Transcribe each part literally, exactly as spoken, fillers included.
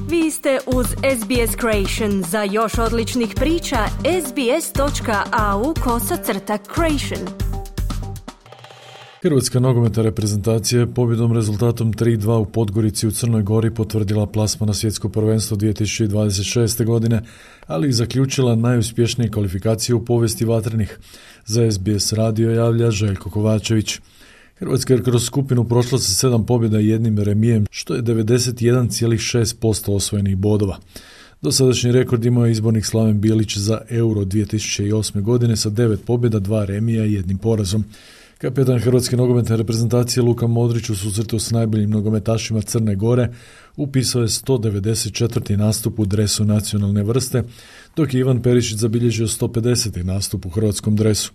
Vi ste uz S B S Creation. Za još odličnih priča, sbs.au kosacrta creation. Hrvatska nogometna reprezentacija je pobjedom rezultatom tri dva u Podgorici u Crnoj Gori potvrdila plasman na svjetsko prvenstvo dvije tisuće dvadeset šeste. godine, ali i zaključila najuspješnije kvalifikacije u povijesti vatrenih. Za S B S radio javlja Željko Kovačević. Hrvatska je kroz skupinu prošla sa sedam pobjeda i jednim remijem, što je devedeset jedan zarez šest posto osvojenih bodova. Dosadašnji rekord imao je izbornik Slaven Bilić za Euro dvije tisuće osme. godine sa devet pobjeda, dva remija i jednim porazom. Kapetan Hrvatske nogometne reprezentacije Luka Modrić u susretu s najboljim nogometašima Crne Gore upisao je sto devedeset četvrti nastup u dresu nacionalne vrste, dok je Ivan Perišić zabilježio sto pedeseti nastup u hrvatskom dresu.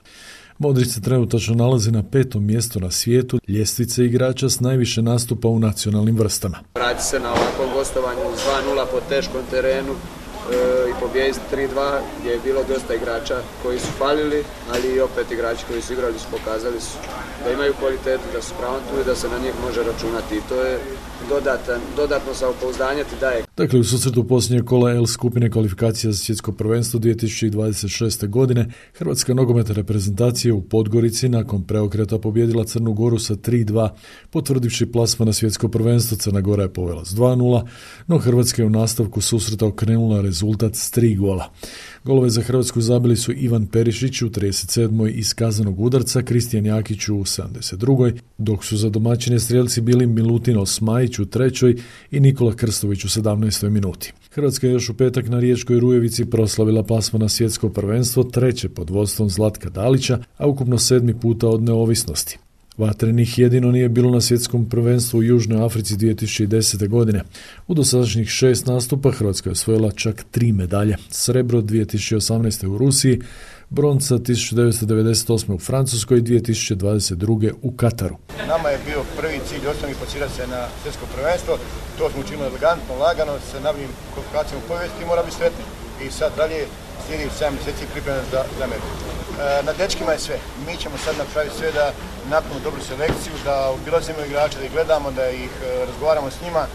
Modrić se trenutačno nalazi na petom mjestu na svijetu ljestvice igrača s najviše nastupa u nacionalnim vrstama. Vrati se na ovakvom gostovanju s dva nula po teškom terenu e, i pobijediti tri dva gdje je bilo dosta igrača koji su falili, ali i opet igrači koji su igrali su pokazali su da imaju kvalitetu, da su pravom tu i da se na njih može računati i to je dodatan, dodatno samopouzdanje ti daje. Dakle, u susretu posljednjeg kola L skupine kvalifikacija za svjetsko prvenstvo dvije tisuće dvadeset šeste. godine Hrvatska nogometna reprezentacija u Podgorici nakon preokreta pobijedila Crnu Goru sa tri dva, potvrdivši plasman na svjetsko prvenstvo. Crna Gora je povela s dva nula, no Hrvatska je u nastavku susreta okrenula rezultat s tri gola. Golove za Hrvatsku zabili su Ivan Perišić u trideset sedmoj iz kaznenog udarca, Kristijan Jakić u sedamdeset drugoj, dok su za domaćine strijelci bili Milutin Osmajić u trećoj i Nikola Krstović u sedamnaestoj minuti. Hrvatska je još u petak na Riječkoj Rujevici proslavila plasman na svjetsko prvenstvo, treće pod vodstvom Zlatka Dalića, a ukupno sedmi puta od neovisnosti. Vatrenih jedino nije bilo na svjetskom prvenstvu u Južnoj Africi dvije tisuće desete. godine. U dosadašnjih šest nastupa Hrvatska je osvojila čak tri medalje. Srebro dvije tisuće osamnaeste. u Rusiji, bronca tisuću devetsto devedeset osme. u Francuskoj i dvije tisuće dvadeset druge. u Kataru. Nama je bio prvi cilj osnovni plasirati se na svjetsko prvenstvo. To smo učinili elegantno, lagano, sa najboljim kvalifikacijama u povijesti i mora biti sretni. I sad dalje slijedi sedam mjeseci pripremljeno za, za Ameriku. E, na dečkima je sve. Mi ćemo sad napraviti sve da napravimo dobru selekciju, da obilazimo igrače, da ih gledamo, da ih e, razgovaramo s njima. E,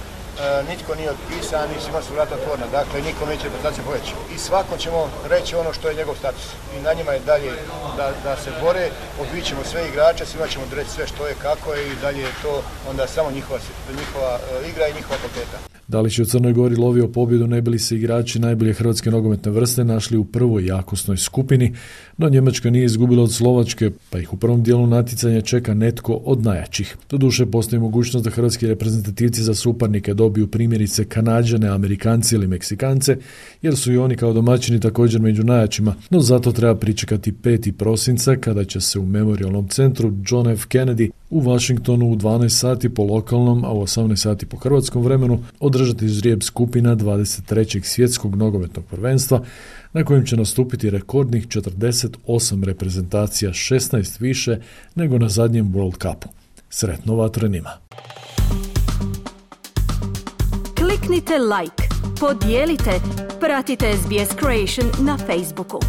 nitko nije otpisan i svima su vrata otvorena. Dakle, niko neće reprezentacija poveći. I svakom ćemo reći ono što je njegov status. I na njima je dalje da, da se bore, obićemo sve igrače, svima ćemo reći sve što je, kako je i dalje je to onda samo njihova, njihova e, igra i njihova kvaliteta. Dalić je u Crnoj Gori lovio pobjedu, ne bili se igrači najbolje hrvatske nogometne vrste našli u prvoj jakosnoj skupini, no Njemačka nije izgubila od Slovačke, pa ih u prvom dijelu natjecanja čeka netko od najjačih. Doduše, postoji mogućnost da hrvatski reprezentativci za suparnike dobiju primjerice Kanađane, Amerikance ili Meksikance, jer su i oni kao domaćini također među najjačima, no zato treba pričekati peti prosinca kada će se u memorialnom centru John F. Kennedy u Washingtonu u dvanaest sati po lokalnom, a u osamnaest sati po hrvatskom vremenu održati žrijeb skupina dvadeset trećeg svjetskog nogometnog prvenstva, na kojem će nastupiti rekordnih četrdeset osam reprezentacija, šesnaest više nego na zadnjem World Cupu. Sretno vatrenima! Kliknite like, podijelite, pratite S B S Creation na Facebooku.